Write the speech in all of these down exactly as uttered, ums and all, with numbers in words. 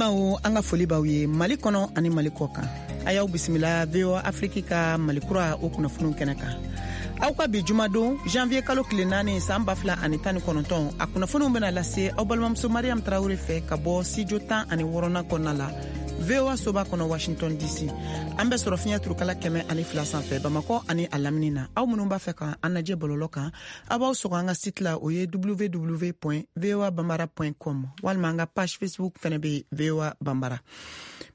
Bawo an ka foli b'aw ye Mali kɔnɔ ani Mali kɔ kan. A y'aw bisimila V O A Afrique ka Mali kura o kunnafoniw kɛnɛ kan. Aw ka bi jumadon janvier kalo tile naani san ba fila ani tan ni kɔnɔntɔn, a kunnafoniw bɛna lase aw balimamuso Mariam Traoré fɛ ka bɔ studio tan ani wɔɔrɔnan kɔnɔna la V O A soba kɔnɔ Washington D C. An bɛ sɔrɔ fiɲɛ turukala kɛmɛ ani fila sanfɛ Bamakɔ ani a lamini na. Aw minnu b'a fɛ ka an lajɛ bɔlɔlɔ kan, aw b'aw sɔgɔ an ka site la, o ye w w w point v o a bambara point com, walima an ka page Facebook fɛnɛ bɛ V O A Bambara.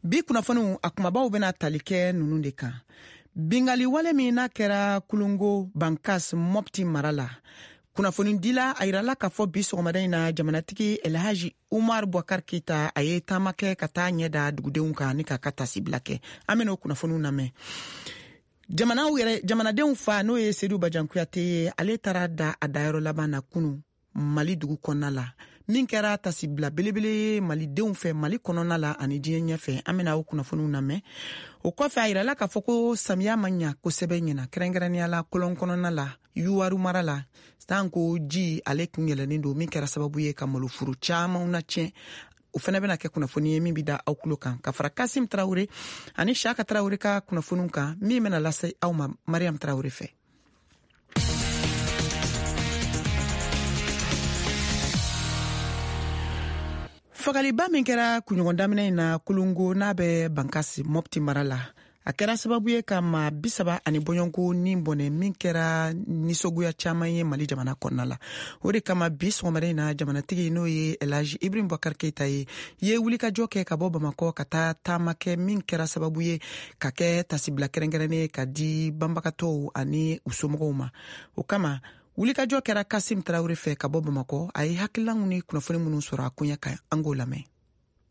Bi kunnafoniw a kumabaw bɛna tali kɛ ninnu de kan. Bingali wale min n'a kɛra Kulungo Bankas Mopti mara la, kunnafonidila a yirala k'a fɔ bi sɔgɔmada in na jamanatigi Elhaji Umar Boubacar Keita a ye taama kɛ ka taa ɲɛ da dugudenw kan ni k'a ka tasibila kɛ. An bɛn'o kunnafoniw lamɛn. Jamanaw yɛrɛ jamanadenw fa n'o ye Seydou Badian Kouyaté ye, ale taara da a dayɔrɔ laban na kunu Mali dugu kɔnɔna la, min kɛra tasibila belebele ye malidenw fɛ Mali kɔnɔna la ani diɲɛ ɲɛfɛ. An bɛna o kunnafoniw lamɛn. O kɔfɛ a yirala k'a fɔ ko samiya ma ɲa kosɛbɛ ɲina, kɛrɛnkɛrɛnnenya la kɔlɔn kɔnɔna la Yuwaru mara la, sanko ji ale kun yɛlɛlen don, min kɛra sababu ye ka maloforo camanw na tiɲɛ. O fɛnɛ bɛna kɛ kunnafoni ye min bɛ da aw tulo kan, ka fara Kasim Traoré ani Shaka Traoré ka kunnafoniw kan, min bɛna lase aw ma Mariam Traoré fɛ. Fagaliba min kɛra kunɲɔgɔn daminɛ in na Kulungo n'a bɛ Bankasi Mopti mara la, a kɛra sababu ye ka maa bi saba ani bɔɲɔgɔnko ni bɔnɛ, min kɛra nisɔngoya caman ye Mali jamana kɔnɔna la. O de kama bi sɔgɔmada in na jamanatigi n'o ye Elhaji Ibrahim Boubacar Keita ye ye wulikajɔ kɛ ka bɔ Bamakɔ ka taa taama kɛ, min kɛra sababu ye ka kɛ tasibila kɛrɛnkɛrɛnnen ka di banbagatɔw ani u somɔgɔw ma. O kama wulikajɔ kɛra Kasim Traoré fɛ ka bɔ Bamakɔ. A ye hakililanw ni kunnafoni minnu sɔrɔ a koɲɛ kan, an k'o lamɛn.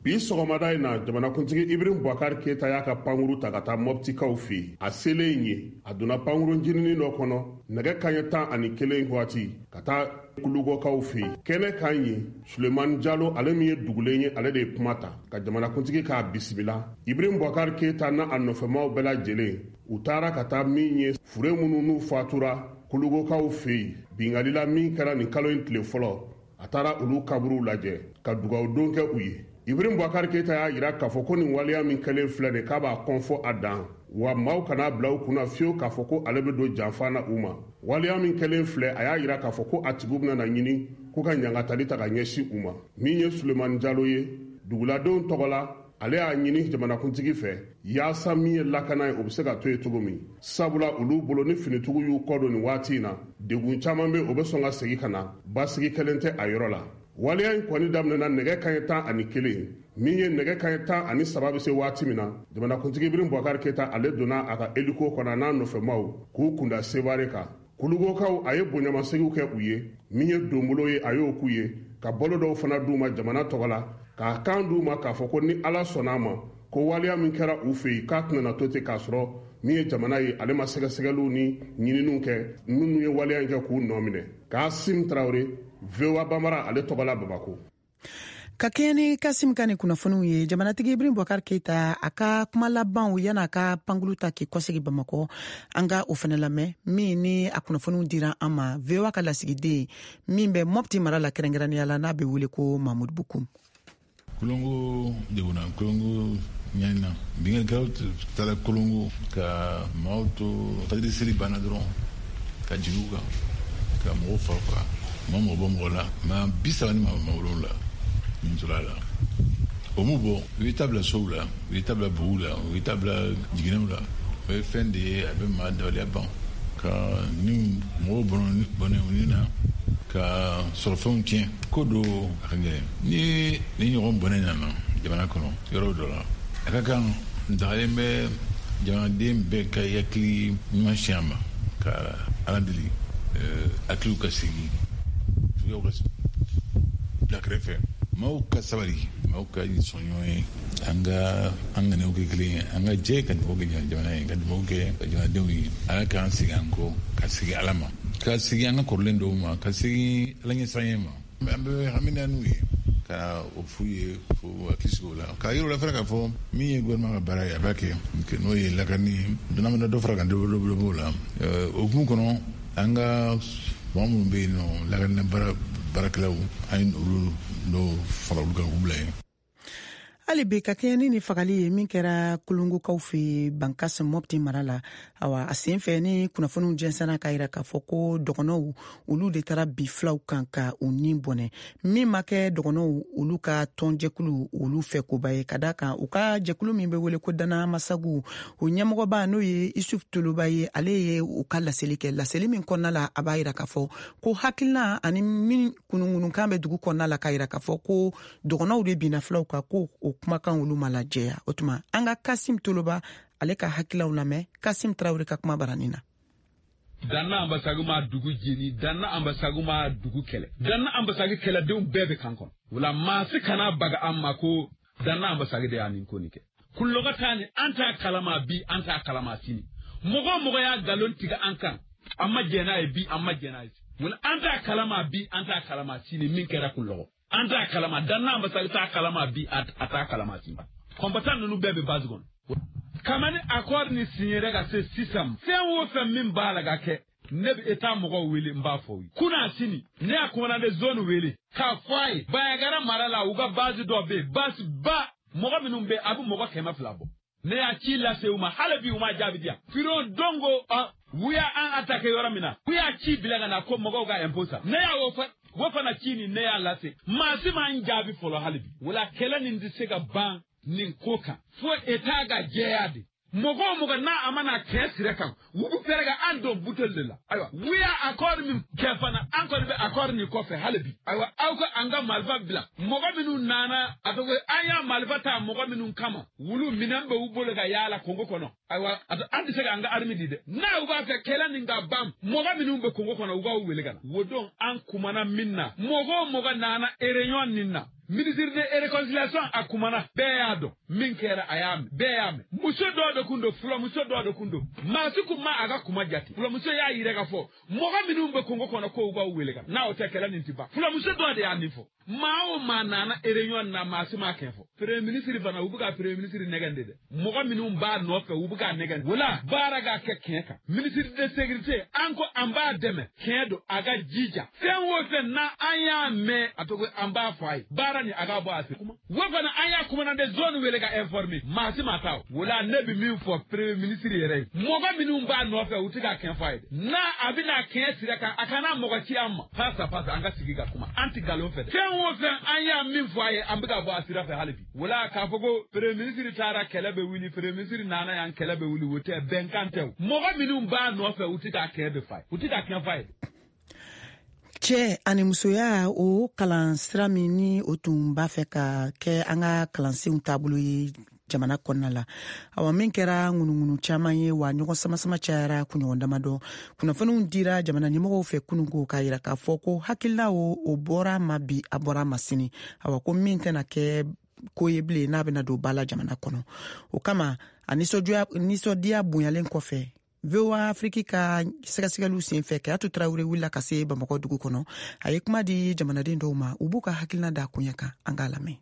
Bi sɔgɔmada in na jamanakuntigi Ibrahim Boubacar Keita y'a ka pankuru ta ka taa Moptikaw fɛ yen. A selen yen, a donna pankurun jininin dɔ kɔnɔ nɛgɛ kanɲɛ tan ani kelen waati ka taa Kulugɔkaw fɛ yen. Kɛnɛ kan yen, Sulemani Jalo, ale min ye dugulen ye, ale de ye kuma ta ka jamanakuntigi k'a bisimila. Ibrahim Boubacar Keita n'a a nɔfɛmaw bɛɛ lajɛlen, u taara ka taa min ye fure minnu n'u fatura Kulugokaw fɛ yen binkanni la min kɛra nin kalo in tile fɔlɔ, a taara olu kaburuw lajɛ ka dugawudon kɛ u ye. Ibrahim Boubacar Keita y'a yira k'a fɔ ko nin waleya min kɛlen filɛ nin k'a b'a kɔnfɔ a dan, wa maaw kana bila u kunna fiyewu k'a fɔ ko ale bɛ don janfa na u ma. Waleya min kɛlen filɛ, a y'a yira k'a fɔ ko a tigiw bɛna na ɲini ko ka ɲangatali ta ka ɲɛsin u ma. Min ye Sulemani Jalo ye duguladenw tɔgɔ la, ale y'a ɲini jamanakuntigi fɛ yaasa min ye lakana ye o bɛ se ka to yen cogo min, sabula olu bolo ni finitigiw y'u kɔ don nin waati in na, degun caman bɛ o bɛ sɔn ka segin ka na, basigi kɛlen tɛ a yɔrɔ la. Waleya in kɔni daminɛna nɛgɛ kanɲɛ tan ani kelen, min ye nɛgɛ kanɲɛ tan ani saba bɛ se waati min na, jamanakuntigi Ibrahim Boubacar Keita ale donna a ka hélico kɔnɔ n'a nɔfɛmaw k'u kunda Sevare kan. Kulugokaw a ye bonɲamasegiw kɛ u ye, min ye donbolo ye a y'o k'u ye, ka balo dɔw fana d'u ma jamana tɔgɔ la, k'a kan d'u ma k'a fɔ ko ni Ala sɔnna a ma ko waleya min kɛra u fɛ yen k'a tɛna na to ten k'a sɔrɔ min ye jamana ye ale ma sɛgɛsɛgɛliw ni ɲininiw kɛ minnu ye waleya in kɛ k'u nɔ minɛ. Kasim Traoré, V O A Bambara, ale tɔgɔ la Bamakɔ. Ka kɛɲɛ ni Kasim ka nin kunnafoniw ye, jamanatigi Ibrahim Boubacar Keita a ka kuma labanw yan'a ka pankulu ta k'i kɔsegi Bamakɔ, an ka o fɛnɛ lamɛn, min ni a kunnafoniw dira an ma V O A ka lasigiden min bɛ Mopti mara la kɛrɛnkɛrɛnnenya la n'a bɛ wele ko Mahmoud Bokoum. Kolongo degunna, Kolongo ɲanina, binkannikɛlaw taara Kolongo ka maaw to fajiri seli banna dɔrɔn ka jigin u kan ka mɔgɔw fa faga, maa mɔgɔ bɔ mɔgɔ la, maa bi saba ni maa wolonwula nin tora la. O m'u bɔ, u ye taa bila sow la, u ye taa bila buguw la, u ye taa bila jiginɛw la. O ye fɛn de ye a bɛ maa dabaliya ban, ka ni mɔgɔw bɔnɛ u ni na, ka sɔrɔfɛnw tiɲɛ. Ko do a ka gɛlɛn ni ni ɲɔgɔn bɔnɛ nana jamana kɔnɔ yɔrɔ dɔ la, a ka kan dagalen bɛ jamanaden bɛɛ ka hakili ɲuman siɲɛ ma, ka Ala deli hakiliw ka segin, juguyaw ka bila kɛrɛfɛ, maaw ka sabali, maaw ka sɔn ɲɔgɔn ye, an ka an ŋaniyaw kɛ kelen ye, an ka jɛ ka dugawu kɛ jamana ye, ka dugawu kɛ jamanadenw ye. Ala k'an segin an kɔ, ka segin Ala ma, ka segin an ka kɔrɔlen dɔw ma, ka segin Ala ɲɛsiranɲɛ ma. An bɛ hami n'u ye ka o f'u ye, fo hakili sigi o la, k'a yir'u la fana k'a fɔ min ye gouvernement ka baara ye a b'a kɛ, n'o ye lakani ye, donna mana dɔ fara kan dɔ b'o la. O hukumu kɔnɔ, an ka mɔgɔ minnu bɛ yen nɔ lakana baara baarakɛlaw, an ye olu dɔw fara olu kan k'u bila yen. Hali bi ka kɛɲɛ ni ni fagali ye min kɛra Kolongokaw fɛ Bankas Mɔpti mara la, awa a sen fɛ ni kunnafoniw jɛnsɛnna k'a yira k'a fɔ ko dɔgɔnɔw olu de taara bi filaw kan ka u ni bɔnɛ. Min ma kɛ dɔgɔnɔw olu ka tɔnjɛkulu olu fɛ koba ye, ka da kan u ka jɛkulu min bɛ wele ko Dana Masagu, o ɲɛmɔgɔba n'o ye Isuf Toloba ye, ale ye u ka laseli kɛ. Laseli min kɔnɔna la, a b'a yira k'a fɔ ko hakilina ani min kunuŋunukan bɛ dugu kɔnɔna la k'a yira k'a fɔ ko dɔgɔnɔw de binna filaw kan, ko o kumakan olu ma lajɛya. O tuma an ka Kasim Toloba ale ka hakililaw lamɛn Kasim Tarawele ka kuma baranin na. Danna Ambasagu ma dugu jeni, Danna Ambasagu ma dugu kɛlɛ, Danna Ambasagu kɛlɛdenw bɛɛ bɛ kan kɔnɔ. Wala maa si kana baga an ma ko Danna Ambasagu de y'a nin ko nin kɛ. Kulɔgɔ t'a ni an t'a kalama bi, an t'a kalama sini. Mɔgɔ o mɔgɔ y'a nkalon tigɛ an kan, an ma jɛn n'a ye bi, an ma jɛn n'a ye sini. Wala an t'a kalama bi, an t'a kalama sini min kɛra Kulɔgɔ. An t'a kalama, Danna Ambasagu t'a kalama bi, a t'a kalama sini. Kɔnpatan ninnu bɛɛ bɛ base kɔnɔ. Kamani accord ni signé ka se sisan, fɛn o fɛn min b'a la ka kɛ, ne bɛ État mɔgɔw wele n b'a fɔ u ye. Kunna sini, ne y'a commandant de zone wele k'a fɔ a ye Bayangara mara la u ka base dɔ bɛ yen, base ba mɔgɔ minnu bɛ yen a bɛ mɔgɔ kɛmɛ fila bɔ. Ne y'a ci lase u ma, hali bi u ma jaabi di yan. Firon dongo u y'an attaqué yɔrɔ min na, u y'a ci bila ka na ko mɔgɔw ka impôt sara. Ne y'a o fɔ, o fana ci nin ne y'a lase, maa si m'an jaabi fɔlɔ hali bi. Wala kɛlɛ nin tɛ se ka ban nin ko kan fo État ka jɛya de. Mɔgɔ o mɔgɔ n'a a mana kɛ sira kan, u bɛ fɛɛrɛ ka an don buteli de la. Ayiwa, u y'a accord min kɛ fana, an kɔni bɛ accord nin kɔfɛ hali bi. Ayiwa, aw ka an ka marifa bila. Mɔgɔ minnu nana, a tɔgɔ an y'a marifa ta mɔgɔ minnu kama, wulu minɛn bɛ u bolo ka yaala Kongo kɔnɔ. Ayiwa, an tɛ se k'an ka armée di dɛ. N'a u b'a fɛ kɛlɛ nin ka ban, mɔgɔ minnu bɛ Kongo kɔnɔ, u k'aw wele ka na. O don an kumana min na, mɔgɔ o mɔgɔ nana réunion nin na, ministre de réconciliation a kumana, bɛɛ y'a dɔn min kɛra, a y'a mɛn, bɛɛ y'a mɛn. Muso dɔw de kun don, fulamuso dɔw de kun don, maa si kun ma a ka kuma jate. Fulamuso y'a yira k'a fɔ mɔgɔ minnu bɛ Kongo kɔnɔ k'u b'aw wele ka na, n'a o tɛ kɛlɛ nin ti ban. Fulamuso dɔw de y'a nin fɔ. Maa o maa nana réunion na, maa si m'a kɛ fɔ. Premier ministre fana, u bɛ ka premier ministre nɛgɛn de dɛ. Mɔgɔ minnu b'a nɔfɛ, u bɛ k'a nɛgɛn. Wala baara ka kɛ tiɲɛ kan. Ministre de sécurité, an ko an b'a dɛmɛ, tiɲɛ don, a ka jija. Fɛn o fɛn na an y'a mɛn, a tɔgɔ an b'a fɔ a ye. Baara nin a ka bɔ a se. O fana an y'a commandant de zone wele ka informer, maa si ma taa o. Wala ne bɛ min fɔ premier ministre yɛrɛ ye, mɔgɔ minnu b'a nɔfɛ, u tɛ k'a kɛ fɔ a ye dɛ. N'a a bɛna kɛɲɛ sira kan, a kana mɔgɔ ci an ma. Face à face, an ka sigi ka kuma. An tɛ nkalon fɛ dɛ. Fɛn o fɛn an y'a min fɔ a ye, an bɛ ka bɔ a sira fɛ hali bi. Wala k'a fɔ ko premier ministre taara kɛlɛ bɛ wuli, premier ministre nana yan kɛlɛ bɛ wuli, o tɛ bɛnkan tɛ o. Mɔgɔ minnu b'a nɔfɛ, u tɛ k'a kɛ de fa ye, u tɛ k'a kɛ fa ye. Cɛ ani musoya o kalan sira min ni o tun b'a fɛ ka kɛ an ka kalansenw taabolo ye jamana kɔnɔna la, awa min kɛra ŋunuŋunu caman ye wa ɲɔgɔn samasama cayara kunɲɔgɔn damadɔ. Kunnafoniw dira jamana ɲɛmɔgɔw fɛ kununko k'a yira k'a fɔ ko hakilila o o bɔra ma bi, a bɔra ma sini. Awa ko min tɛna kɛ ko ye bilen n'a bɛna don ba la jamana kɔnɔ. O kama a nisɔndiya bonyalen kɔfɛ, V O A Afrique ka sɛgɛsɛgɛliw senfɛ, Kayatu Tarawele wulila ka se Bamakɔ dugu kɔnɔ. A ye kuma di jamanaden dɔw ma, u b'u ka hakilina da koɲɛ kan. An k'a lamɛn.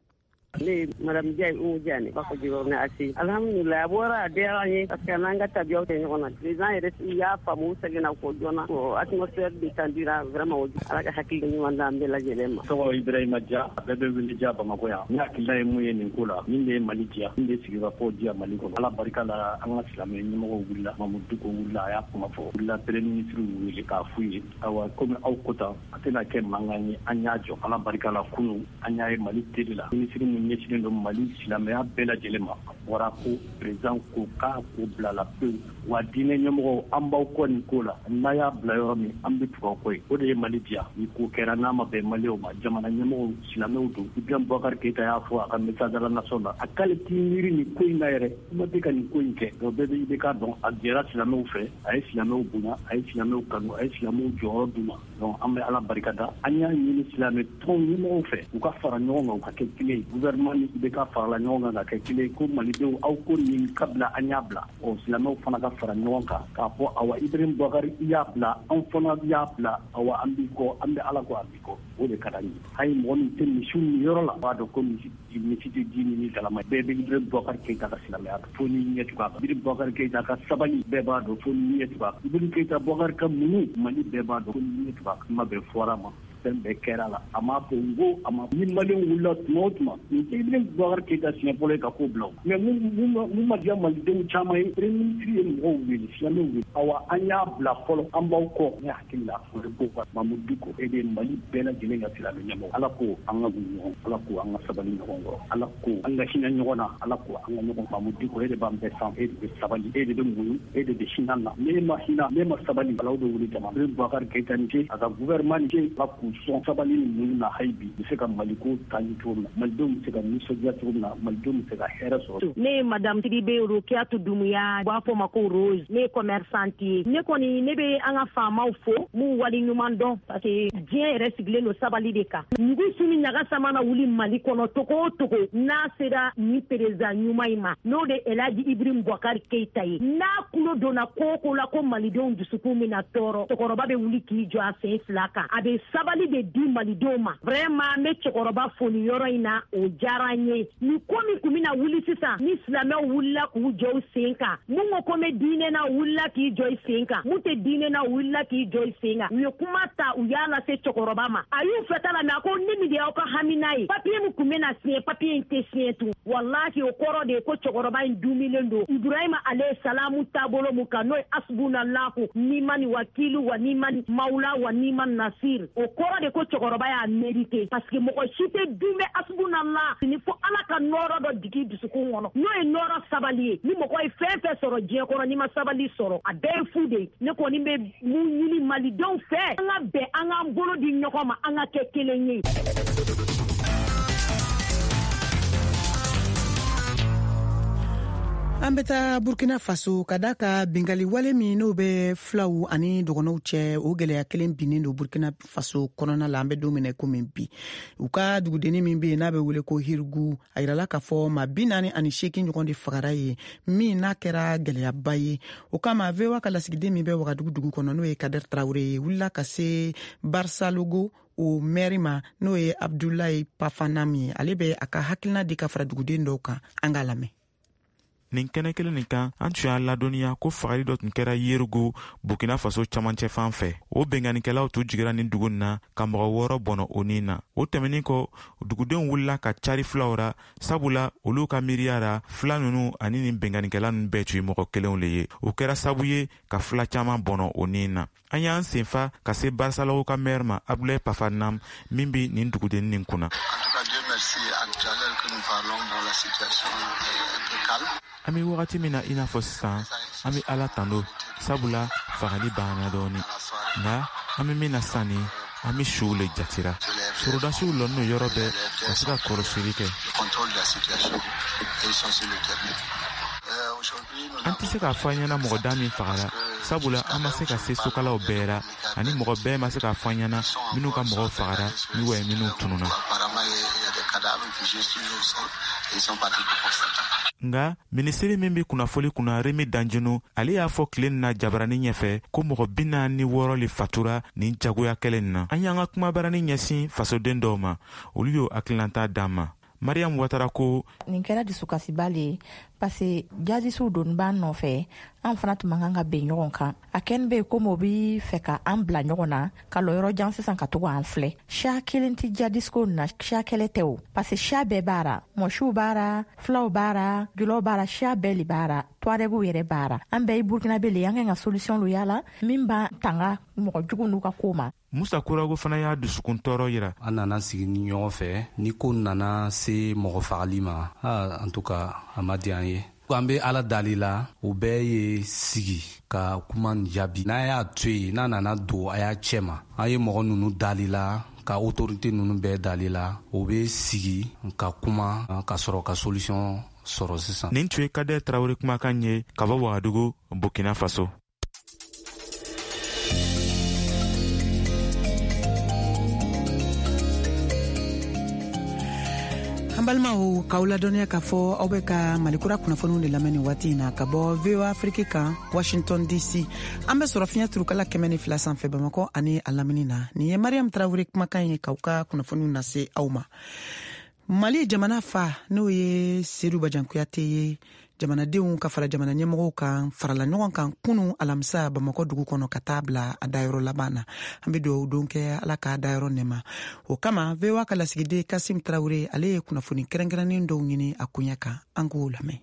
Ne ye madame Diaye Umu Diane, b'a fɔ Jikɔrɔni A C. Alhamdulillah, a bɔra a diyara an ye parce que n'an ka tabiyaw tɛ ɲɔgɔn na. Président yɛrɛ y'a faamu, u seginna kɔ joona. Bon, atmosphère détendue vraiment, Ala ka hakili ɲuman d'an bɛɛ lajɛlen ma. Tɔgɔ Ibrahima Dia, a bɛɛ bɛ wele Dia Bamakɔ yan. Ne hakilina ye mun ye nin ko la, min de ye Mali diya, min de sigikafɔ diya Mali kɔnɔ. Ala barika la, an ka silamɛ ɲɛmɔgɔw wulila, Mamudu Diko wulila, a y'a kuma fɔ. Wulila premier ministre wele k'a f'u ye, ayiwa komi aw ko tan, a tɛna kɛ mankan ye, an y'a jɔ. Ala barika la, kunun an y'a ye Mali télé la, ministre min ɲɛsinnen don Mali silamɛya bɛɛ lajɛlen ma, a bɔra ko président ko k'a ko bila la pewu. Wa diinɛ ɲɛmɔgɔw, an b'aw kɔ nin ko la, n'a y'a bila yɔrɔ min, an bɛ tugu aw kɔ yen. O de ye Mali diya. Ni ko kɛra n'a ma bɛn Maliyɛnw ma, jamana ɲɛmɔgɔw silamɛw don. Ibrahim Boubacar Keïta y'a fɔ a ka message à la nation na, a k'ale t'i miiri nin ko in na yɛrɛ, kuma tɛ ka nin ko in kɛ. Donc bɛɛ bɛ I B K dɔn, a jɛra silamɛw fɛ, a ye silamɛw bonya, a ye silamɛw kanu, a ye silamɛw jɔyɔrɔ d'u ma. Donc an bɛ Ala barika da. An y'a ɲini silamɛ tɔn ɲɛmɔgɔw fɛ, u ka fara ɲɔgɔn kan, u ka kɛ kelen ye. Gouvernement ni I B K farala ɲɔgɔn kan ka kɛ kelen ye, ko Malidenw aw ko nin ka bila, an y'a bila. Ɔ silamɛw fana ka fara ɲɔgɔn kan k'a fɔ awa Ibrahim Boubacar i y'a bila, anw fana y'a bila, awa an b'i kɔ, an bɛ Ala kɔ, an b'i kɔ. O de ka d'an ye. Hali mɔgɔ min tɛ misiw min yɔrɔ la, b'a dɔn ko misi misi tɛ ji min ni galama. Bɛɛ bɛ Ibrahim Boubacar Keïta ka silamɛya dɔn, fo n'i ɲɛ tugu a kan. Ibrahim Boubacar Keïta ka sabali, bɛɛ b'a dɔn, fo n'i ɲɛ tugu a kan. Ibrahim Keïta Boubacar ka muɲu, Mali bɛɛ b'a dɔn, fo n'i ɲɛ tugu a kan. Kuma bɛɛ fɔra ma. Fɛn bɛɛ kɛra la, a m'a fɔ n ko a ma. Ni maliyɛnw wulila tuma o tuma, nin tɛ Ibrahim Boubacar Keïta siɲɛ fɔlɔ ye ka ko bila o. Mais mun ma diya malidenw caman ye, premier ministre ye mɔgɔw wele, silamɛw wele. Awa an y'a bila fɔlɔ, an b'aw kɔ. Ne hakili la o de ko Mamudu Dicko, e de ye Mali bɛɛ lajɛlen ka silamɛ ɲɛmɔgɔ. Ala ko an ka gun ɲɔgɔn, Ala ko an ka sabali ɲɔgɔn kɔrɔ, Ala ko an ka hinɛ ɲɔgɔn na, Ala ko an ka ɲɔgɔn. Mamudu Dicko, e de b'an bɛɛ san, e de bɛ sabali, e de bɛ muɲu, e de bɛ hinɛ na. Ne ma hinɛ, ne ma sabali, Ala bɛ wuli jama. Ibrahim Boubacar Keïta ni ce, a ka gouvernement ni ce, Ala k'u sɔn sabali ni muɲu na hali bi. U bɛ se ka Maliko taa ɲɛ cogo min na, malidenw bɛ se ka nisɔndiya cogo min na, malidenw bɛ se ka hɛrɛ sɔrɔ. Ne ye madame Sidibe Rokiatu Dumuya, u b'a fɔ ma ko Rose. Ne ye commerçante ye. Ne kɔni ne bɛ an ka faamaw fo, m'u wali ɲuman dɔn, parce que diɲɛ yɛrɛ sigilen don sabali de kan. Mugu su ni ɲaga sama na wuli Mali kɔnɔ togo o togo, n'a sera nin président ɲuman in ma, n'o de Elhaji Ibrahim Boubacar Keïta ye, n'a kulo donna ko o ko la ko malidenw dusukun bɛna tɔɔrɔ, cɛkɔrɔba bɛ wuli k'i jɔ a sen fila kan. A bɛ sabali de di malidenw ma. Vraiment n bɛ cɛkɔrɔba fo nin yɔrɔ in na, o diyara n ye. Nin ko min kun bɛna wuli sisan, ni silamɛw wulila k'u jɔ u sen kan, mun ko ko n bɛ diinɛ na, wulila k'i jɔ i sen kan, mun tɛ diinɛ na, wulila k'i jɔ i sen kan. U ye kuma ta, u y'a lase cɛkɔrɔba ma. A y'u fɛta la, mais a ko ne min de y'aw ka hamina ye, papiye min kun bɛna siɲɛ, papiye in tɛ siɲɛ tun. Walahi o kɔrɔ de ye ko cɛkɔrɔba in dumilen don Ibrahima ale salamu taabolo mun kan, n'o ye asbunalahu nimani wakilu wa nimani mawula wa nimani nasir. O kɔrɔ de ko cɛkɔrɔba y'a mérité, parce que mɔgɔ si tɛ dunbɛ asbunallah ni fo Ala ka nɔɔrɔ dɔ digi dusukun kɔnɔ, n'o ye nɔɔrɔ sabali ye. Ni mɔgɔ ye fɛn fɛn sɔrɔ diɲɛ kɔnɔ, n'i ma sabali sɔrɔ, a bɛɛ ye fu de ye. Ne kɔni bɛ mun ɲini malidenw fɛ, an ka bɛn, an k'an bolo di ɲɔgɔn ma, an ka kɛ kelen ye. An bɛ taa Burkina Faso ka da ka bingali wale min n'o bɛ filaw ani dɔgɔnɔw cɛ, o gɛlɛya kelen binnen don Burkina Faso kɔnɔna la. An bɛ don min na komi bi, u ka dugudenni min bɛ yen n'a bɛ wele ko Hirigu, a yirala k'a fɔ maa bi naani ani seegin ɲɔgɔn de fagara yen, min n'a kɛra gɛlɛyaba ye. O kama V O A ka lasigiden min bɛ Wagadugu dugu kɔnɔ, n'o ye Kader Traoré ye, wulila ka se Barsalogo o mɛri ma, n'o ye Abdoulaye Pafanam ye. Ale bɛ a ka hakilina di ka fara duguden dɔw kan, an k'a lamɛn. Nin kɛnɛ kelen nin kan, an tun y'a ladɔnniya ko fagali dɔ tun kɛra Yerigo, Burkina Faso camancɛ fan fɛ. O benkannikɛlaw tun jigira nin dugu nin na ka mɔgɔ wɔɔrɔ bɔnɔ o nin na. O tɛmɛnin kɔ, dugudenw wulila ka cari filaw ra, sabula olu ka miiriya ra, fila nunu ani nin benkannikɛla nunu bɛɛ tun ye mɔgɔ kelenw le ye. O kɛra sabu ye ka fila caman bɔnɔ o nin na. An y'an senfa ka se Barsalaw ka mɛri ma, Abdoulaye Pafanam, min bi nin dugudennin nin kunna. An bɛ wagati min na i n'a fɔ sisan, an bɛ Ala tando, sabula fagali banna dɔɔni. Nka an bɛ min na sisan nin, an bɛ suw le jatira. Sorodasiw lɔnnen don yɔrɔ bɛɛ ka se ka kɔlɔsili kɛ. An tɛ se k'a fɔ an ɲɛna mɔgɔ da min fagara, sabula an ma se ka se sokalaw bɛɛ la, ani mɔgɔ bɛɛ ma se k'a fɔ an ɲɛna minnu ka mɔgɔw fagara ni wa minnu tununna. Nka minisiri min bɛ kunnafoli kunna, Remi Danjino, ale y'a fɔ tile na jabarani ɲɛfɛ ko mɔgɔ bi naani ni wɔɔrɔ le fatura nin jagoya kɛlɛ nin na. An y'an ka kumabarani ɲɛsin fasoden dɔw ma, olu y'o hakilinata d'an ma. Mariam Ouattara ko nin kɛra dusukasiba le ye, parce que jadisiw donni b'an nɔfɛ, an fana tun man kan ka bɛn ɲɔgɔn kan. A kɛni bɛ yen komi o bi fɛ ka an bila ɲɔgɔn na ka lɔ yɔrɔ jan sisan ka to an filɛ. Siya kelen tɛ jadisiko nin na, siya kɛlɛ tɛ o, parce que siya bɛɛ b'a ra, mɔsiw b'a ra, filaw b'a ra, julaw b'a ra, siya bɛɛ le b'a ra, tuarɛgiw yɛrɛ b'a ra. An bɛɛ ye burukinabe le ye, an kan ka solution lo yala min b'an tanga mɔgɔ jugu n'u ka ko ma. Musa Kurago fana y'a dusukun tɔɔrɔ yira. An nana sigi ni ɲɔgɔn fɛ, ni ko nana se mɔgɔ fagali ma, en tout cas a ma diya an ye. An bɛ Ala dali la, o bɛɛ ye sigi ka kuma jaabi. N'a y'a to yen, n'a nana don a y'a cɛ ma, an ye mɔgɔ ninnu dali la, ka autorité ninnu bɛɛ dali la, o bɛ sigi ka kuma ka sɔrɔ ka solution sɔrɔ sisan. Nin tun ye Kader Traoré kumakan ye ka bɔ Wagadugu, Burkina Faso. An balimaw, k'aw ladɔnniya k'a fɔ aw bɛ ka Malikura kunnafoniw de lamɛn nin waati in na ka bɔ V O A Afrique kan, Washington D C. An bɛ sɔrɔ fiɲɛ turukala kɛmɛ ni fila sanfɛ Bamakɔ ani a lamini na. Nin ye Mariam Traoré kumakan ye k'aw ka kunnafoniw lase aw ma. Mali jamana fa, n'o ye Seydou Badian Kouyaté ye, Jamanadenw ka fara jamana ɲɛmɔgɔw kan farala ɲɔgɔn kan kunu alamisa Bamakɔ dugu kɔnɔ ka taa bila a dayɔrɔ laban na. An bɛ dugawu don kɛ Ala k'a dayɔrɔ nɛma. O kama V O A ka lasigiden Kasim Tarawele, ale ye kunnafoni kɛrɛnkɛrɛnnen dɔw ɲini a koɲɛ kan. An k'o lamɛn.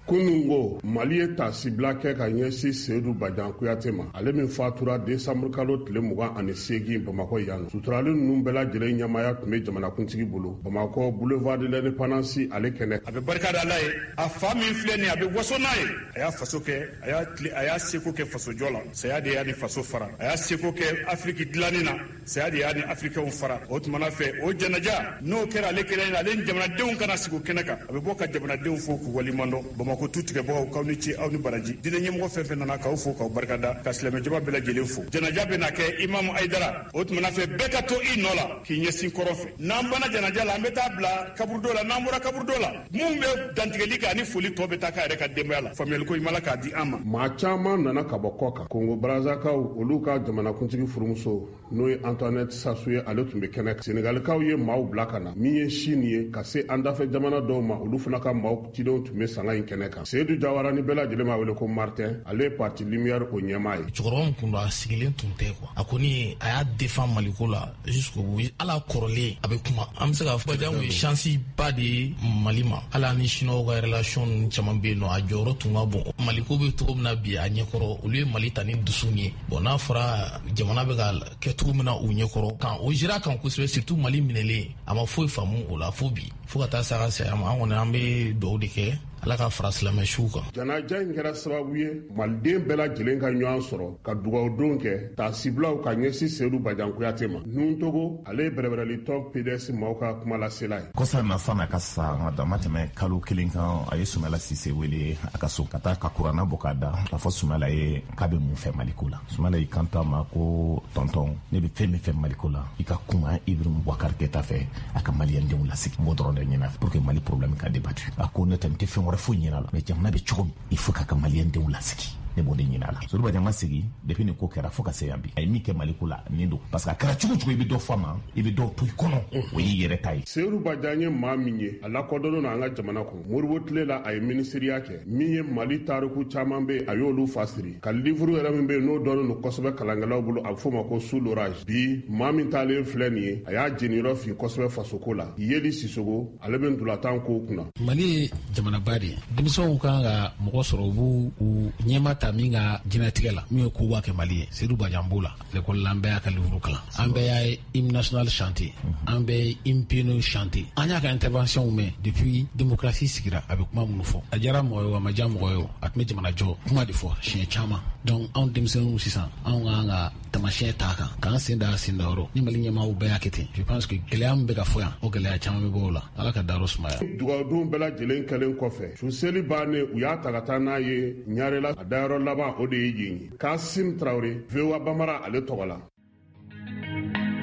Kunungo Mali ye tasibila kɛ ka ɲɛsin Seyidu Bajan Kuyate ma, ale min fatura desanburu kalo tile mugan ani seegin Bamakɔ yan. Suturali ninnu bɛɛ lajɛlen ɲɛmaaya tun bɛ jamanakuntigi bolo Bamakɔ boulevard de l'Indépendance ale kɛnɛ. A bɛ barika da Ala ye, a fa min filɛ nin ye, a bɛ waso n'a ye. A y'a faso kɛ, a y'a tile, a y'a seko kɛ fasojɔ la, saya de y'a ni faso fara. A y'a seko kɛ Afiriki dilanni na, saya de y'a ni Afirikɛnw fara. O tumana fɛ, o janaja n'o kɛra ale kelen ye, ale ni jamanadenw kana sigi o kɛnɛ kan, a bɛ bɔ ka jamanadenw fo k'u waleɲuman dɔn. Bamakɔ tu tigɛbagaw, k'aw ni ce, aw ni baraji. Diinɛ ɲɛmɔgɔ fɛn fɛn nana, k'aw fo k'aw barikada, ka silamɛjama bɛɛ lajɛlen fo. Janaja bɛna kɛ Imamu Ayidara. O tumana fɛ, bɛɛ ka to i nɔ la k'i ɲɛsin kɔrɔn fɛ. N'an banna janaja la, an bɛ taa bila kaburudo la. N'an bɔra kaburudo la, mun bɛ dantigɛli kɛ ani foli tɔ bɛ taa k'a yɛrɛ ka denbaya la. Faamuyaliko ɲuman la k'a di an ma. Maa caman nana ka bɔ kɔ kan. Kongo Brazakaw, olu ka jamanakuntigi furumuso n'o ye Antoinette Sassou ye, ale tun bɛ kɛnɛ. Senegalikaw ye maaw bila ka na min ye Sini ye ka se an dafɛ jamana dɔw ma, olu fana ka maaw cidenw tun bɛ sanga in kɛnɛ kan. Seyidu Jawara ni bɛɛ lajɛlen b'a wele ko Martin, ale ye parti Lumière o ɲɛmaa ye. Cɛkɔrɔba min kun don, a sigilen tun tɛ quoi. A kɔni a y'a défend Maliko la jusqu'au bout. Ala kɔrɔlen a bɛ kuma. An bɛ se k'a fɔ Badian ye chance ba de ye Mali ma. Hali ani Chinois ka relation ninnu caman bɛ yen nɔ, a jɔyɔrɔ tun ka bon. Maliko bɛ cogo min na bi a ɲɛkɔrɔ, olu ye Mali ta ni dusu ye. Bon, n'a fɔra jamana bɛ ka kɛ cogo min na u ɲɛkɔrɔ, kan o jira kan kosɛbɛ, surtout Mali minɛlen, a ma foyi faamu o la fo bi. Fo ka taa se a ka saya ma, an kɔni an bɛ dugawu de kɛ Ala ka fara silamɛ siw kan. Janaja in kɛra sababu ye maliden bɛɛ lajɛlen ka ɲɔgɔn sɔrɔ ka dugawudon kɛ taasibilaw ka ɲɛsin Seyidu Bajan Kuyate ma. Nuntogo, ale ye bɛrɛbɛrɛlitɔn P D S maaw ka kumalasela ye. Kɔsa na san'a ka sa, a ma tɛmɛ kalo kelen kan, a ye Sumala Sise wele a ka so ka taa ka kuranna bɔ k'a da k'a fɔ Sumala ye k'a bɛ mun fɛ Maliko la. Sumala y'i kanto a ma ko tɔntɔn, ne bɛ fɛn min fɛ Maliko la, i ka kuma Ibrahim Boubacar Keita fɛ, a ka maliyɛndenw lasigi. N b'o dɔrɔn de ɲini pour que Mali problème ka débattu. A ko ne tɛ n tɛ fɛn wɛrɛ foyi ɲini a la, mais jamana bɛ cogo min, il faut k'a ka maliyɛndenw lasigi. Ne b'o de ɲini a la. Seyidu Bajan ma segin depuis nin ko kɛra fo ka se yan bi. A ye min kɛ Maliko la nin don, parce que a kɛra cogo cogo, i bɛ dɔ fɔ a ma, i bɛ dɔ to i kɔnɔ, o y'i yɛrɛ ta ye. Seyidu Bajan ye maa min ye, a lakodɔnnen don an ka jamana kɔnɔ. Moribo tile la, a ye minisiriya kɛ. Min ye Mali tariku caman bɛ yen, a y'olu fasiri. Ka livre yɛrɛ min bɛ yen n'o dɔnnen don kosɛbɛ kalankɛlaw bolo, a bɛ f'o ma ko Sous l'orage. Bi maa min taalen filɛ nin ye, a y'a jeniyɔrɔ fin kosɛbɛ fasoko la. Yeli Sisogo, ale bɛ ntolatan kow kunna. Mali ye jamanaba de ye. Denmisɛnw kan ka mɔgɔ sɔrɔ, u b'u u ɲɛma ta min ka diɲɛlatigɛ la, min ye koba kɛ Mali ye. Seyidu Bajan b'o la. L'école la, an bɛɛ y'a ka livre kalan, an bɛɛ y'a hymne national chanté, an bɛɛ ye hymne piano chanté, an y'a ka intervention mɛn depuis démocratie sigira. A bɛ kuma minnu fɔ, a diyara mɔgɔ ye o, a ma diya mɔgɔ ye o, a tun bɛ jamana jɔ kuma de fɔ siɲɛ caman. Donc anw denmisɛnninw sisan, anw kan ka tamasiyɛn t'a kan k'an sen da sen da yɔrɔ. Ni Mali ɲɛmaaw bɛɛ y'a kɛ ten, je pense que gɛlɛya min bɛ ka fɔ yan, o gɛlɛya caman bɛ bɔ o la. Ala ka dayɔrɔ sumaya. Dugawudon bɛɛ lajɛlen kɛlen kɔfɛ, su seli bannen, u y'a ta ka taa n'a ye Ɲarela. A dayɔrɔ laban o de ye yen ye. Kasim Tarawele, V O A Bamara, ale tɔgɔ la.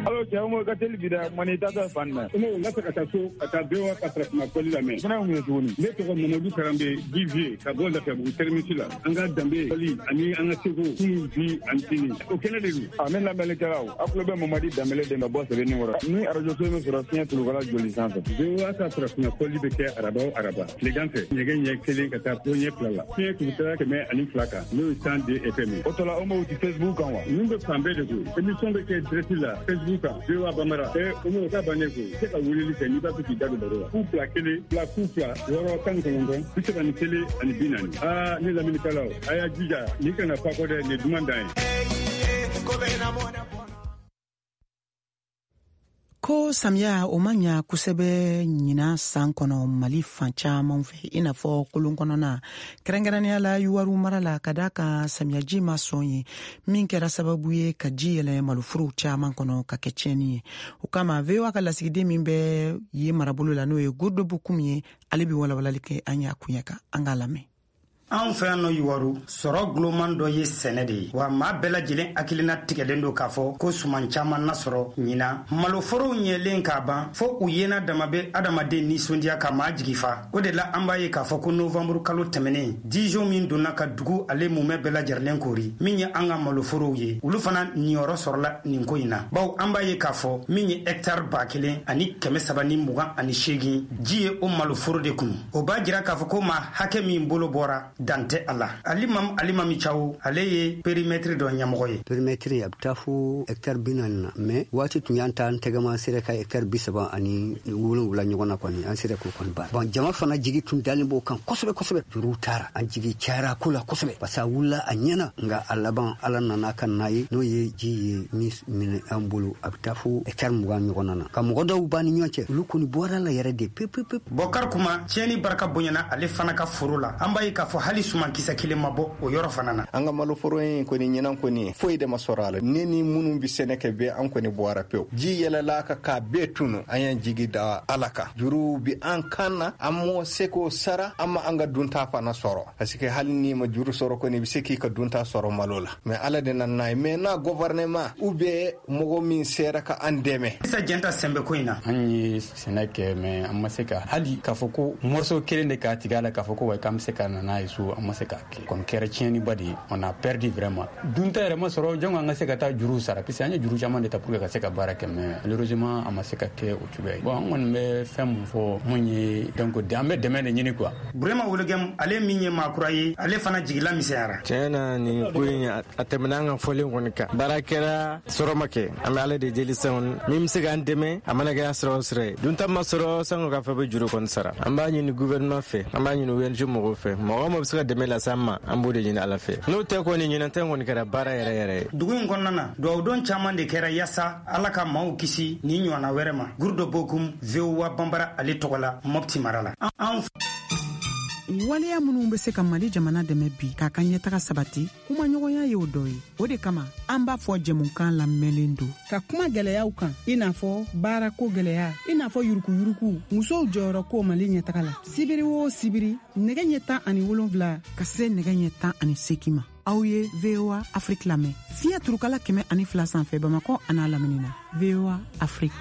Alo cɛ, o ka teli bi dɛ, mani tata fan na. N ka se ka taa so ka taa V O A ka farafinna kɔli lamɛn. Fana ye mun ye tuguni? Ne tɔgɔ Mamadu Karanbe Divier ka bɔ Lafiyabugu terminus la. An ka danbe kɔli ani an ka seko kunun, bi ani sini. O kɛnɛ de don. A ne lamɛnnikɛlaw, aw tulo bɛ Mamadi Danbele de ka bɔ Sɛbɛnni kɔrɔ. Ni arajo so min sɔrɔ fiɲɛ tulukala joli sanfɛ. V O A ka farafinna kɔli bɛ kɛ araba o araba tilegan fɛ nɛgɛ ɲɛ kelen ka taa fo ɲɛ fila la. Fiɲɛ tulukala kɛmɛ ani fila kan, n'o ye cent deux F M ye. O tɔla o m'o ti Facebook kan wa? Ninnu bɛ fan bɛɛ de koyi. Émission bɛ kɛ direct la Facebook kan, V O A Bambara. Ɛ o m'o ta bannen koyi. Se ka weleli kɛ n'i b'a fɛ k'i da don baro la. Fu fila kelen fila fu fila wɔɔrɔ tan ni kɔnɔntɔn bi saba ni kelen ani bi naani. Aa ne lamɛnnikɛlaw, a y'a jija nin kana fa kɔ dɛ, nin ye duman dan ye. Ko samiya o ma ɲa kosɛbɛ ɲinan san kɔnɔ Mali fan caman fɛ, i n'a fɔ kolon kɔnɔna, kɛrɛnkɛrɛnnenya la Yuwaru mara la, ka da kan samiyaji ma sɔn ye, min kɛra sababu ye ka ji yɛlɛ maloforow caman kɔnɔ ka kɛ tiɲɛni ye. O kama V O A ka lasigiden min bɛ yen marabolo la, n'o ye Godobokum ye, ale bɛ walawalali kɛ an y'a kuɲɛ kan. An k'a lamɛn. Anw fɛ yan nɔ Yuwaru, sɔrɔ guloman dɔ ye sɛnɛ de ye, wa maa bɛɛ lajɛlen hakilina tigɛlen don k'a fɔ ko suman caman na sɔrɔ ɲinan. Maloforow ɲɛlen k'a ban fo u yena dama bɛ adamaden nisɔndiya ka maa jigi fa. O de la an b'a ye k'a fɔ ko novanburu kalo tɛmɛnen, dijon min donna ka dugu ale mumɛ bɛɛ lajɛlen kori, min ye an ka maloforow ye, olu fana niyɔrɔ sɔrɔla nin ko in na, bawo an b'a ye k'a fɔ min ye hɛktare ba kelen ani kɛmɛ saba ni mugan ani seegin, ji ye o maloforo de kunu. O b'a jira k'a fɔ ko maa hakɛ min bolo bɔra, dan tɛ a la. Alimam Alimami Cawo, ale ye périmètre dɔ ɲɛmɔgɔ ye. Périmètre a bɛ taa fo hɛktare bi naani na, mais waati tun y'an ta an tɛgɛma sera ka hɛktare bi saba ani wolonwula ɲɔgɔn na kɔni, an sera k'o kɔni baara. Bon, jama fana jigi tun dalen b'o kan kosɛbɛ kosɛbɛ. Juruw taara, an jigi cayara ko la kosɛbɛ, parce que a wulila a ɲɛna, nka a laban Ala nana ka n'a ye, n'o ye ji ye min minɛ an bolo, a bɛ taa fo hɛktare mugan ɲɔgɔn na. Ka mɔgɔ dɔw b'an ni ɲɔgɔn cɛ, olu kɔni bɔra la yɛrɛ de pewu pewu. Bɔkari Kuma, tiɲɛni barika bonyana ale fana ka foro la. An b'a ye k'a fɔ hali sumankisɛ kelen ma bɔ o yɔrɔ fana na. An ka maloforo in kɔni ɲinan kɔni foyi de ma sɔrɔ a la. Ne ni minnu bɛ sɛnɛ kɛ bɛɛ, an kɔni bɔra pewu. Ji yɛlɛla ka k'a bɛɛ tunu. An y'an jigi da Ala kan. Juruw bi an kan na, an m'o se k'o sara, an ma an ka dunta fana sɔrɔ, parce que hali n'i ma juru sɔrɔ kɔni, i bɛ se k'i ka dunta sɔrɔ malo la. Mais Ala de nana n'a ye. Mais n'a gouvernement ou bien mɔgɔ min sera ka an dɛmɛ. Isa Jɛnta sɛnbɛ ko in na. An ye sɛnɛ kɛ, mais an ma se ka hali k'a fɔ ko morceau kelen de k'a tigɛ a la k'a fɔ ko wa k'an bɛ se ka na n'a ye so, an ma se k'a kɛ. Kɔni kɛra tiɲɛniba de ye. On a perdu vraiment. Dunta yɛrɛ ma sɔrɔ, jango an ka se ka taa juru sara, parce que an ye juru caman de ta pour que ka se ka baara kɛ, mais malheureusement a ma se ka kɛ o cogoya ye. Bon, an kɔni bɛ fɛn mun fɔ mun ye, donc an bɛ dɛmɛ de ɲini quoi. Burema Wologɛm, ale min ye maakura ye, ale fana jigila misɛnyara. Tiɲɛ na, nin ko in a tɛmɛna an ka fɔlen kɔni kan. Baara kɛra, sɔrɔ ma kɛ. An bɛ Ala de deli sisan, min bɛ se k'an dɛmɛ, a mana kɛ sira o sira ye. Dunta ma sɔrɔ, sango k'a fɔ bɛ juru kɔni sara. An b'a ɲini gouvernement fɛ, an b'a ɲini O N G mɔgɔw fɛ, mɔgɔ o mɔgɔ bɛ se ka dɛmɛ lase an ma, an b'o de ɲini Ala fɛ. N'o tɛ kɔni, ɲinan tɛ kɔni kɛra baara yɛrɛ yɛrɛ ye. Dugu in kɔnɔna na, dugawudon caman de kɛra yaasa Ala ka maaw kisi nin ɲɔgɔnna wɛrɛ ma. Gurudo Bokum, V O A Banbara ale tɔgɔ la, Mopti mara la. An waleya minnu bɛ se ka Mali jamana dɛmɛ bi k'a ka ɲɛtaga sabati, kumaɲɔgɔnya y'o dɔ ye. O de kama an b'a fɔ jɛmukan lamɛnlen don ka kuma gɛlɛyaw kan, i n'a fɔ baarako gɛlɛya, i n'a fɔ yurukuyuruku, musow jɔyɔrɔ ko Mali ɲɛtaga la. Sibiri o sibiri, nɛgɛ ɲɛ tan ani wolonfila ka se nɛgɛ ɲɛ tan ani seegin ma, aw ye V O A Afrique lamɛn fiɲɛ turukala kɛmɛ ani fila sanfɛ Bamakɔ an'a lamini na. V O A Afrique.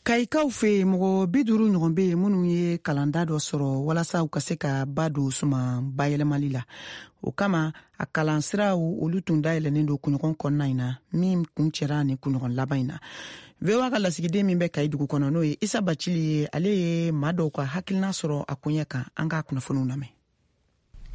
Kayikaw fɛ yen, mɔgɔ bi duuru ɲɔgɔn bɛ yen minnu ye kalanda dɔ sɔrɔ walasa u ka se ka ba don suman bayɛlɛmali la. O kama a kalansiraw olu tun dayɛlɛnnen don kunɲɔgɔn kɔnɔna in na, min kun cɛra ni kunɲɔgɔn laban in na. V O A ka lasigiden min bɛ Kayi dugu kɔnɔ, n'o ye Isa Bacili ye, ale ye maa dɔw ka hakilina sɔrɔ a koɲɛ kan. An k'a kunnafoniw lamɛn.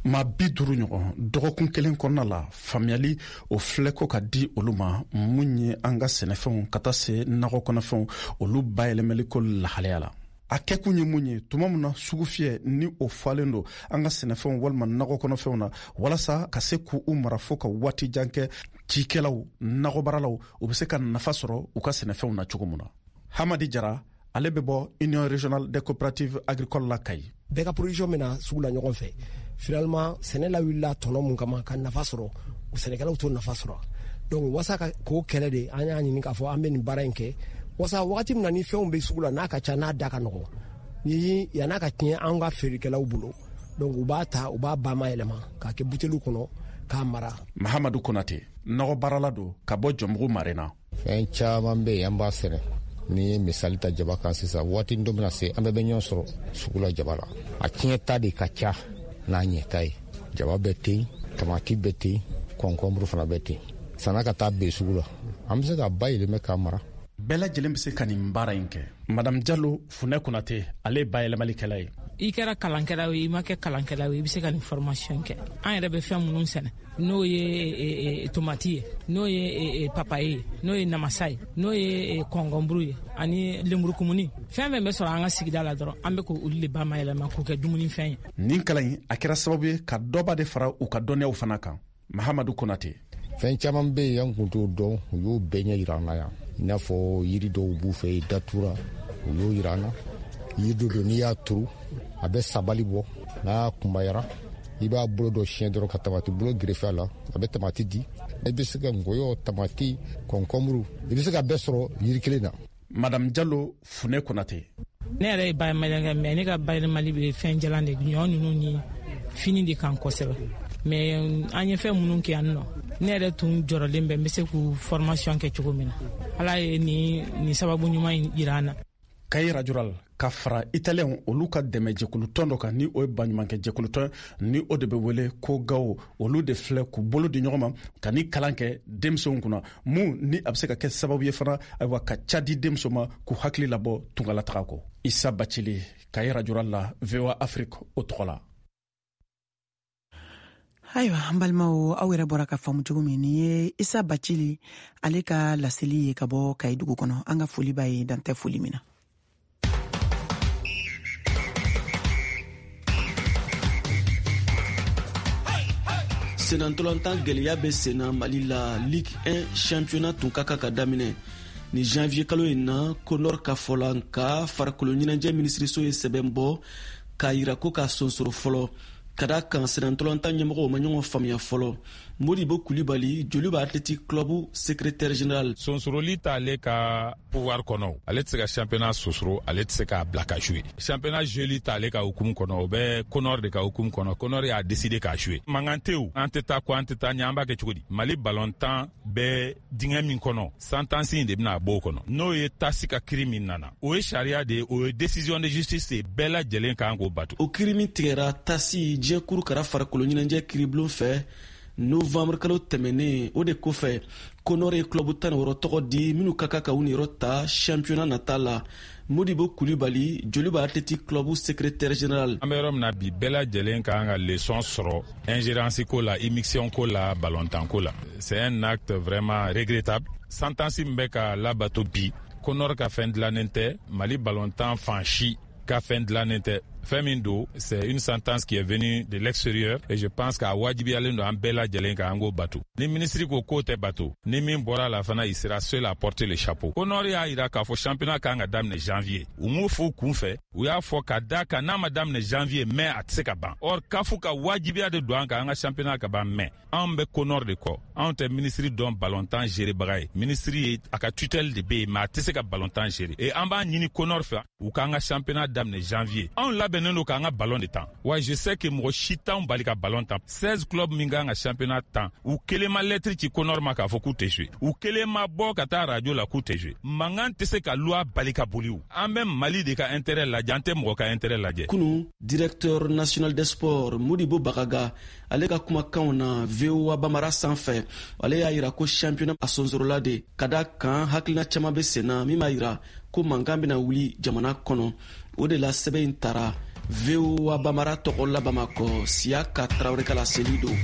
Ma bi duuru ɲɔgɔn dɔgɔkun kelen kɔnɔna la, faamuyali o filɛ ko ka di olu ma mun ye an ka sɛnɛfɛnw ka taa se nakɔ kɔnɔfɛnw olu bayɛlɛmali ko lahalaya la. A kɛkun ye mun ye, tuma min na sugu fiyɛ ni o falen don an ka sɛnɛfɛnw walima nakɔ kɔnɔfɛnw na, walasa ka se k'u mara fo ka waati jan kɛ, cikɛlaw nakɔbaaralaw u bɛ se ka nafa sɔrɔ u ka sɛnɛfɛnw na cogo min na. Hamadi Jara, ale bɛ bɔ Union régionale des coopératives agricoles la Kayi. Bɛɛ ka production bɛna sugu la ɲɔgɔn fɛ. Finalement, sɛnɛ lawulila tɔnɔ mun kama ka nafa sɔrɔ, o sɛnɛkɛlaw t'o nafa sɔrɔ. Donc wasa ka k'o kɛlɛ de, an y'a ɲini k'a fɔ an bɛ nin baara in kɛ wasa wagati min na ni fɛnw bɛ sugu la, n'a ka ca, n'a da ka nɔgɔn, ni yann'a ka tiɲɛ an ka feerekɛlaw bolo, donc u b'a ta, u b'a bayɛlɛma k'a kɛ buteliw kɔnɔ k'a mara. Mahamadu Konate, nɔgɔ baarala don ka bɔ Jɔnbugu Marena. Fɛn caman bɛ yen an b'a sɛnɛ. Ni ye misali ta jaba kan sisan, waati dɔ bɛna se an bɛɛ bɛ ɲɔgɔn sɔrɔ sugu la jaba la. A tiɲɛ ta de ka ca n'a ɲɛta ye. Jaba bɛ ten, tamati bɛ ten, kɔnkɔnburu fana bɛ ten. San'a ka taa ben sugu la, an bɛ se ka bayɛlɛma k'a mara. Bɛɛ lajɛlen bɛ se ka nin baara in kɛ. Madame Jalo Funɛ Konate, ale ye bayɛlɛmalikɛla ye. I kɛra kalankɛla ye, i ma kɛ kalankɛla ye, i bɛ se ka nin formation kɛ. An yɛrɛ bɛ fɛn minnu sɛnɛ, n'o ye tomati ye, n'o ye papaye ye, n'o ye namasa ye, n'o ye kɔnkɔnburu ye, ani lemurukumuni, fɛn fɛn bɛ sɔrɔ an ka sigida la dɔrɔn, an bɛ k'olu de bayɛlɛma k'o kɛ dumunifɛn ye. Nin kalan in a kɛra sababu ye ka dɔba de fara u ka dɔnniyaw fana kan. Mahamadu Konate. Fɛn caman bɛ yen an kun t'o dɔn, u y'o bɛɛ ɲɛ yira an na yan. I n'a fɔ yiri dɔw b'u fɛ yen, datura, u y'o yira an na. Yiri dɔ don, n'i y'a turu, a bɛ sabali bɔ, n'a kunbayara, i b'a bolo dɔ siɲɛ dɔrɔn ka tamati bolo gerefe a la, a bɛ tamati di. I bɛ se ka ngɔyɔ, tamati, kɔnkɔnburu, i bɛ se ka bɛɛ sɔrɔ yiri kelen na. Madame Jalo Funɛ Konate. Ne yɛrɛ ye bayɛlɛmali kɛ, mais ne ka bayɛlɛmali bɛ fɛn jalan de, ɲɔ ninnu ni fini de kan kosɛbɛ. Mais an ye fɛn minnu kɛ yan nɔ, ne yɛrɛ tun jɔrɔlen bɛ n bɛ se k'u formation kɛ cogo min na. Ala ye nin nin sababu ɲuman yira an na. Kayi Radio Rural ka fara italiyɛnw olu ka dɛmɛjɛkulutɔn dɔ kan, ni o ye baɲumankɛjɛkulutɔn, ni o de bɛ wele ko Gawo, olu de filɛ k'u bolo di ɲɔgɔn ma ka ni kalan kɛ denmisɛnw kunna, mun ni a bɛ se ka kɛ sababu ye fana, ayiwa, ka ca di denmuso ma k'u hakili labɔ tungalataga kɔ. Isa Bacili, Kayi Radio Rural la, V O A Afrique o tɔgɔ la. Ayiwa, an balimaw, aw yɛrɛ bɔra ka faamu cogo min, nin ye Isa Bacili ale ka laseli ye ka bɔ Kayi dugu kɔnɔ. An ka foli b'a ye, dan tɛ foli min na. Senantolantan gɛlɛya bɛ senna Mali la. Ligue un championnat tun ka kan ka daminɛ ni janvier kalo in na, CONOR ka fɔ la, nka farikolo ɲɛnajɛ minisiriso ye sɛbɛn bɔ k'a yira ko k'a sonsoro fɔlɔ, ka da kan senantolantan ɲɛmɔgɔw ma ɲɔgɔn faamuya fɔlɔ. Modibo Kulibali, Joliba Athletic Club secrétaire général. Sonsoroli t'ale ka pouvoir kɔnɔ, ale tɛ se ka championnat sosoro, ale tɛ se k'a bila ka jouer. Championnat joueli t'ale ka hukumu kɔnɔ, o bɛ CONOR de ka hukumu kɔnɔ. CONOR y'a décidé k'a jouer. Mankan tɛ o, an tɛ taa ko an tɛ taa ɲɛ, an b'a kɛ cogo di? Mali ballontan bɛ dingɛ min kɔnɔ, sentence in de bɛna bɔ o kɔnɔ. N'o ye tasi ka kiri min nana, o ye sariya de ye, o ye décision de justice ye, bɛɛ lajɛlen kan k'o bato. O kiri min tigɛra tasi diɲɛ kuru kara farikolo ɲɛnajɛ kiribulon fɛ novembre kalo tɛmɛnen, o de kɔfɛ CONOR ye club tan ni wɔɔrɔ tɔgɔ di minnu ka kan ka u niyɔrɔ ta championnat nata la. Modibo Kulibali, Joliba Athletic Club secrétaire général. An bɛ yɔrɔ min na bi, bɛɛ lajɛlen kan ka leçon sɔrɔ ingérence ko la, immixtion ko la, ballontan ko la. C'est un acte vraiment regrettable. Sentence min bɛ ka labato bi, CONOR ka fɛn dilannen tɛ, Mali ballontan fan si ka fɛn dilannen tɛ. Fɛn min don, c'est une sentence qui est venue de l'extérieur et je pense k'a wajibiyalen don an bɛɛ lajɛlen kan an k'o bato. Ni ministre ko k'o tɛ bato, ni min bɔra la fana, il sera seul à porter le chapeau. CONOR y'a yira k'a fɔ championnat kan ka daminɛ janvier. U m'o fɔ u kun fɛ, u y'a fɔ ka da kan n'a ma daminɛ janvier, mais a tɛ se ka ban. Or CAF ka wajibiya de don an kan an ka championnat ka ban, mais anw bɛ CONOR de kɔ. Anw tɛ ministre dɔn ballontan gérebaga ye. Ministre ye a ka tutelle de bɛ yen, mais a tɛ se ka ballontan gérer. Et an b'a ɲini CONOR fɛ u k'an ka championnat daminɛ janvier. Anw labɛnnen don k'an ka ballon de tan. Wa je sais que mɔgɔ si t'anw bali ka ballon tan. seize clubs min kan ka championnat tan, u kelen ma lettre ci CONOR ma k'a fɔ k'u tɛ jouer. U kelen ma bɔ ka taa radio la k'u tɛ jouer. Mankan tɛ se ka loi bali ka boli o. An bɛ Mali de ka intérêt lajɛ, an tɛ mɔgɔ ka intérêt lajɛ. Kunu, directeur national des sports Modibo Bagaga, ale ka kumakanw na V O A Bamara sanfɛ, ale y'a yira ko championnat a sonsorola de, ka da kan hakilina caman bɛ sen na min b'a yira ko mankan bɛna wuli jamana kɔnɔ. O de la sɛbɛn in tara V O A Bamara tɔgɔ la Bamakɔ, Siyaka Tarawele ka laseli don.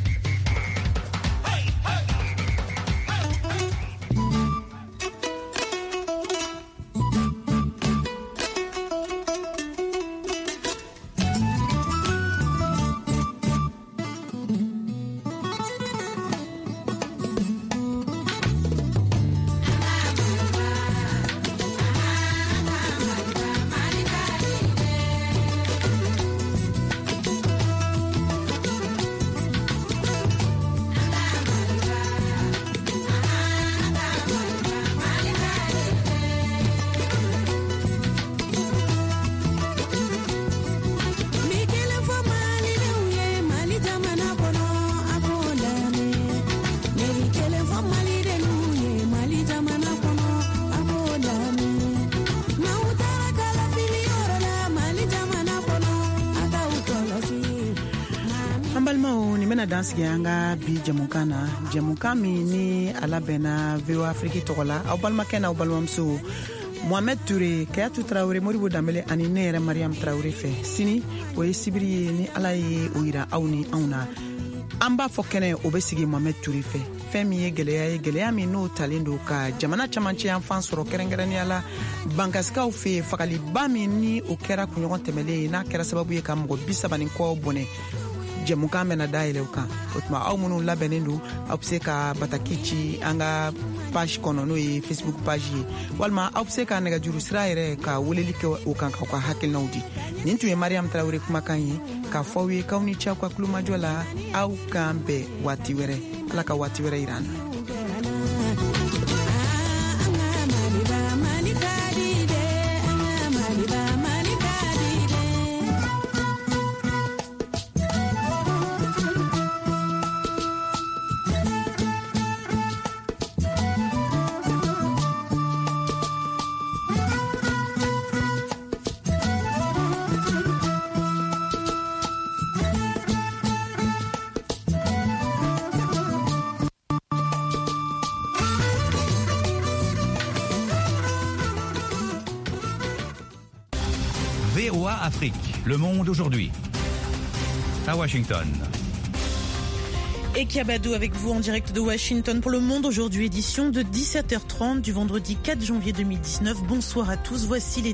Dan sigi an ka bi jɛmukan na, jɛmukan min ni a labɛnna V O A Afrique tɔgɔ la, aw balimakɛ n'aw balimamuso Mohamed Touré, Kayatu Traoré, Modibo Danbele ani ne yɛrɛ Mariam Traoré fɛ. Sini o ye sibiri ye, ni Ala ye o yira aw ni anw na. An b'a fɔ kɛnɛ o bɛ sigi Mohamed Touré fɛ. Fɛn min ye gɛlɛya ye, gɛlɛya min n'o talen don ka jamana camancɛ yanfan sɔrɔ, kɛrɛnkɛrɛnnenya la bankasikaw fɛ yen, fagaliba min ni o kɛra kunɲɔgɔn tɛmɛlen ye, n'a kɛra sababu ye ka mɔgɔ bi saba ni kɔ bɔnɛ. Jɛmukan bɛna dayɛlɛ o kan. O tuma aw minnu labɛnnen don, aw bɛ se ka bataki ci an ka page kɔnɔ, n'o ye Facebook page ye, walima aw bɛ se ka nɛgɛjuru sira yɛrɛ ka weleli kɛ o kan k'aw ka hakilinaw di. Nin tun ye Mariam Traoré kumakan ye k'a fɔ aw ye k'aw ni ce aw ka kulomajɔ la. Aw k'an bɛn waati wɛrɛ. Ala ka waati wɛrɛ yira an na. V O A Afrique, Le Monde aujourd'hui. À Washington. Et Kiabadou avec vous en direct de Washington pour Le Monde aujourd'hui, édition de dix-sept heures trente du vendredi quatre janvier deux mille dix-neuf. Bonsoir à tous, voici les